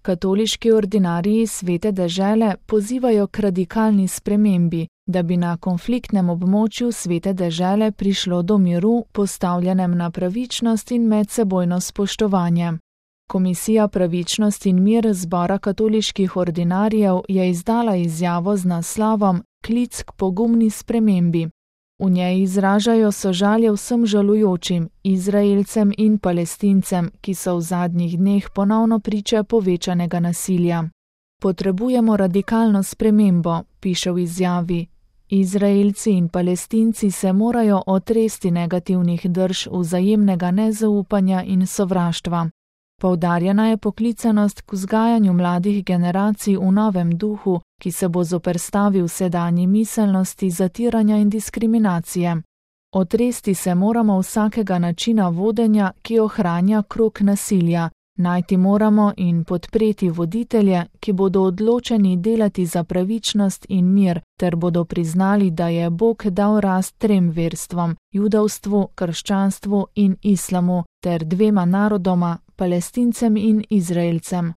Katoliški ordinariji Svete dežele pozivajo k radikalni spremembi, da bi na konfliktnem območju Svete dežele prišlo do miru, postavljenem na pravičnost in medsebojno spoštovanje. Komisija Pravičnost in mir Zbora katoliških ordinarijev je izdala izjavo z naslovom Klic k pogumni spremembi. V njej izražajo sožalje vsem žalujočim, Izraelcem in Palestincem, ki so v zadnjih dneh ponovno priče povečanega nasilja. Potrebujemo radikalno spremembo, piše v izjavi. Izraelci in Palestinci se morajo otresti negativnih drž vzajemnega nezaupanja in sovraštva. Poudarjena je poklicanost k vzgajanju mladih generacij v novem duhu, ki se bo zoperstavil sedanji miselnosti zatiranja in diskriminacije. Otresti se moramo vsakega načina vodenja, ki ohranja krog nasilja. Najti moramo in podpreti voditelje, ki bodo odločeni delati za pravičnost in mir, ter bodo priznali, da je Bog dal rast 3 verstvom, judovstvu, krščanstvu in islamu, ter 2 narodoma, Palestincem in Izraelcem.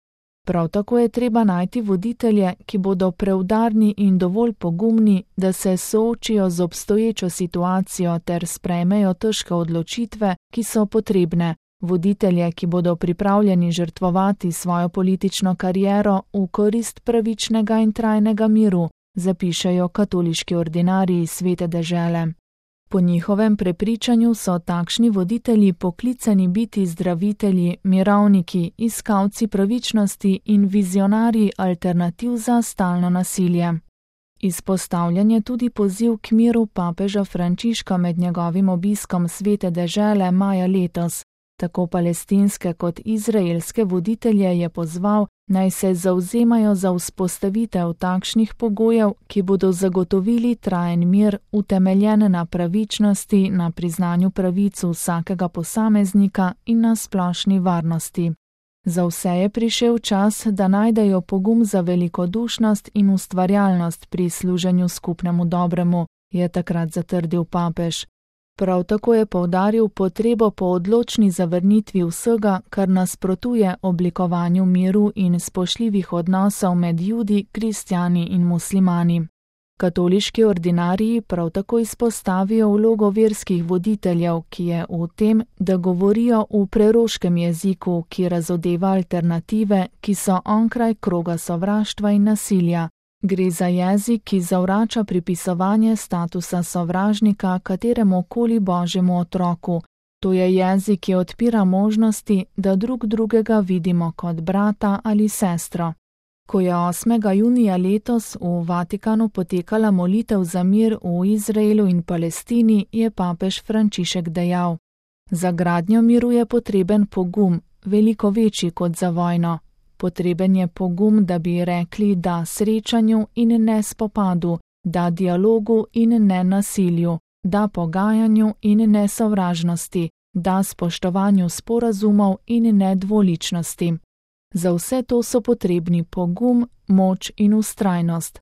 Prav tako je treba najti voditelje, ki bodo preudarni in dovolj pogumni, da se soočijo z obstoječo situacijo ter sprejmejo težke odločitve, ki so potrebne. Voditelje, ki bodo pripravljeni žrtvovati svojo politično kariero v korist pravičnega in trajnega miru, zapišejo katoliški ordinariji Svete dežele. Po njihovem prepričanju so takšni voditelji poklicani biti zdravitelji, mirovniki, iskalci pravičnosti in vizionarji alternativ za stalno nasilje. Izpostavljen je tudi poziv k miru papeža Frančiška med njegovim obiskom Svete dežele maja letos. Tako palestinske kot izraelske voditelje je pozval, naj se zavzemajo za vzpostavitev takšnih pogojev, ki bodo zagotovili trajen mir, utemeljen na pravičnosti, na priznanju pravic vsakega posameznika in na splošni varnosti. Za vse je prišel čas, da najdejo pogum za velikodušnost in ustvarjalnost pri služenju skupnemu dobremu, je takrat zatrdil papež. Prav tako je poudaril potrebo po odločni zavrnitvi vsega, kar nasprotuje oblikovanju miru in spoštljivih odnosov med Judi, kristjani in muslimani. Katoliški ordinariji prav tako izpostavijo vlogo verskih voditeljev, ki je v tem, da govorijo v preroškem jeziku, ki razodeva alternative, ki so onkraj kroga sovraštva in nasilja. Gre za jezik, ki zavrača pripisovanje statusa sovražnika kateremu koli božjemu otroku. To je jezik, ki odpira možnosti, da drug drugega vidimo kot brata ali sestro. Ko je 8. junija letos v Vatikanu potekala molitev za mir v Izraelu in Palestini, je papež Frančišek dejal: Za gradnjo miru je potreben pogum, veliko večji kot za vojno. Potreben je pogum, da bi rekli da srečanju in ne spopadu, da dialogu in ne nasilju, da pogajanju in ne sovražnosti, da spoštovanju sporazumov in ne dvoličnosti. Za vse to so potrebni pogum, moč in vztrajnost.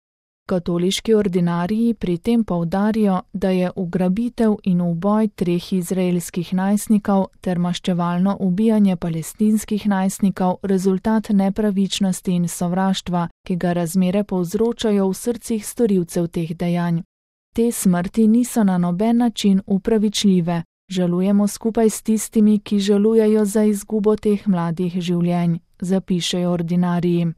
Katoliški ordinariji pri tem poudarijo, da je ugrabitev in uboj 3 izraelskih najstnikov ter maščevalno ubijanje palestinskih najstnikov rezultat nepravičnosti in sovraštva, ki ga razmere povzročajo v srcih storilcev teh dejanj. Te smrti niso na noben način upravičljive. Žalujemo skupaj s tistimi, ki žalujejo za izgubo teh mladih življenj, zapišejo ordinariji.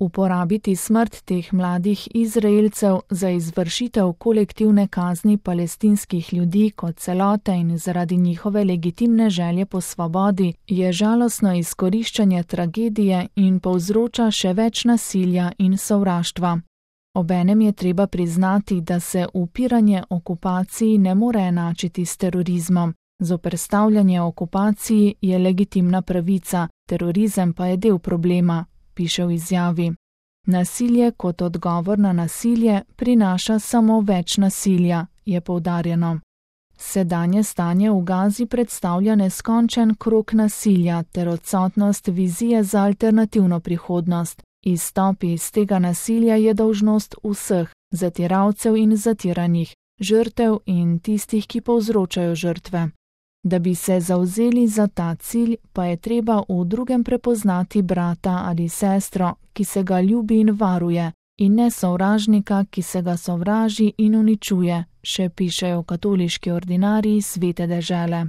Uporabiti smrt teh mladih Izraelcev za izvršitev kolektivne kazni palestinskih ljudi kot celote in zaradi njihove legitimne želje po svobodi je žalostno izkoriščanje tragedije in povzroča še več nasilja in sovraštva. Obenem je treba priznati, da se upiranje okupaciji ne more enačiti s terorizmom. Zoperstavljanje okupaciji je legitimna pravica, terorizem pa je del problema, piše v izjavi. Nasilje kot odgovor na nasilje prinaša samo več nasilja, je poudarjeno. Sedanje stanje v Gazi predstavlja neskončen krog nasilja ter odsotnost vizije za alternativno prihodnost. Izstop iz tega nasilja je dolžnost vseh, zatiralcev in zatiranih, žrtev in tistih, ki povzročajo žrtve. Da bi se zavzeli za ta cilj, pa je treba v drugem prepoznati brata ali sestro, ki se ga ljubi in varuje, in ne sovražnika, ki se ga sovraži in uničuje, še pišejo katoliški ordinariji Svete dežele.